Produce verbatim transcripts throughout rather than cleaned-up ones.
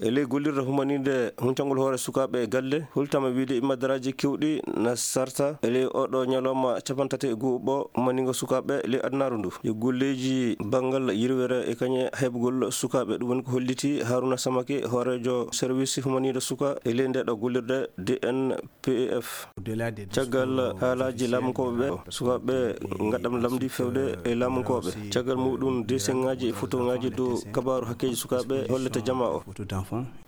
E ley gollirde humaniinde huncangol hoore sukaaɓe e galle, hultama wiide imadaraaji keewɗi na sarta e ley oɗo ñalawma cappanɗe tati e go'o ɓo humaniingo sukaaɓe ley adunaaru ndu. Yo golleeji banngal yirwere e kañe heɓugol sukaaɓe, ɗum woni ko holliti Haruna Samake, hooreejo service humaniinde suka e ley ndeeɗo gollirde D N P F. Caggal haalaaji laamunkooɓe ɓe, sukaaɓe ngaɗam lamndi fewde e laamunkooɓe. Caggal muɗum, deseŋaaji e fotoŋaaji dow kabaaru hakkeeji sukaaɓe hollete jamaa o.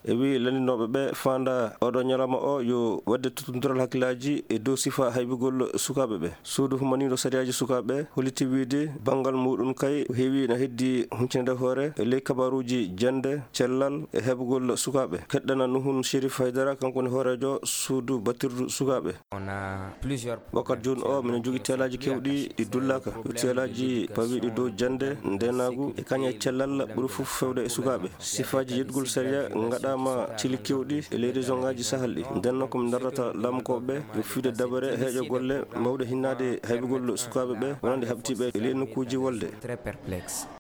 E wi lanndinooɓe ɓe faanda oɗo ñalawma o yo waɗde tuttundiral hakkillaaji e dow sifa haybugol sukaaɓe ɓe. Suudu humaniiɗo sariyaaji sukaaɓe holliti wiide banngal muɗum kay ko heewi na heddi huncinde hoore e ley kabaaruuji jannde, cellal e heɓugol sukaaɓe. Keɗɗana Nuhun Sherif Haydara, kanko woni hooreejo suudu battirdu sukaaɓe. Wakkati jooni o, minen njogii teelaaji keewɗi ɗi dullaaka. Yo teelaaji pawiiɗi dow jannde, ndeenaagu e kañe cellal ɓuri fof fewde e sukaaɓe. Sifaaji yeɗgol sariya ngaɗaama cili keewɗi e ley région ŋaaji Sahel ɗi. Nden noon ko min ndarrata laamunkooɓe ɓe yo fiide dabare heeƴo golle mawɗe hinnaade haybugol sukaaɓe ɓe wonande haɓtiiɓe e ley nokkuuji wolde.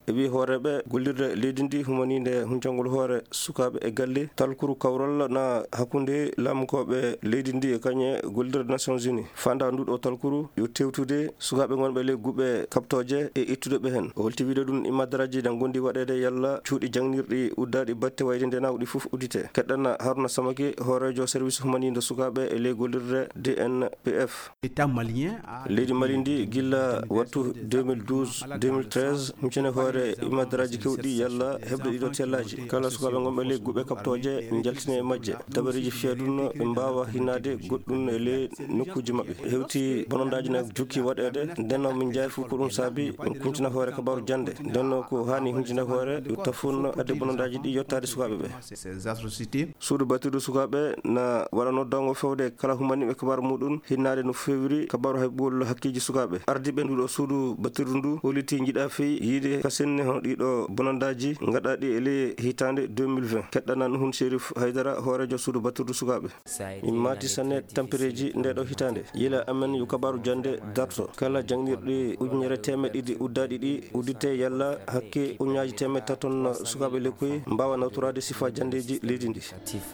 E wi hooreeɓe gollirde leydi ndi humaniinde huncangol hoore sukaaɓe e galle, talkuru kawral na hakkunde laamunkooɓe leydi ndi e kañe gollirde Nations Unies. Faanda nduɗo talkuru yo tewtude sukaaɓe ngonɓe ley guɓe kaɓtooje e ittude ɓe heen. O holti wiide ɗum imadaraaji na ngondi waɗeede yalla cuuɗi jaŋnirɗi uddaaɗi batte wayde ndeenaagu ɗi fof uddite. Keɗɗana Haruna Samake, hooreejo service humaniinde sukaaɓe e ley gollirde D N P F. Leydi Mali ndi gilla wattu deux mille douze, deux mille treize, huncine hoore imadaraaji keewɗi yalla heɓde ɗiɗo teelaaji. Kala sukaaɓe ngonɓe ley guɓe kaɓtooje njaltine e majje. Dabareeji fiyadun ɓe mbaawa hinnaade goɗɗun e ley nokkuuji maɓɓe. Hewti bonondaaji na jokki waɗeede, nden noon min njaay fof ko ɗum saabi min kuncina hoore kabaaru jannde. Nden noon ko haani huncine hoore yo tafun adde bonondaaji ɗi yottaade sukaaɓe ɓe. Suudu battirdu sukaaɓe na waɗa noddaango fewde kala humaniiɓe kabaaru muɗum, hinnaade no feewiri kabaaru haybugol hakkeeji sukaaɓe. Ardiiɓe nduɗo suudu battirdu ndu holliti njiɗa fey yiide ka senne hono ɗiɗo bonondaaji ngaɗaaɗi e ley hitaande deux mille vingt. Keɗɗana Nuhun Sherif Haydara, hooreejo suudu battirdu sukaaɓe. Min maati sanne tampereeji ndeeɗo hitaande. Yila amen yo kabaaru jannde darto. Kala jaŋnirɗi ujunere teemeɗɗe ɗiɗi uddaaɗi ɗi uddite yalla hakke ujunnaaji teemeɗɗe taton sukaaɓe lekkoy mbaawa nawtoraade sifa janndeeji leydi ndi.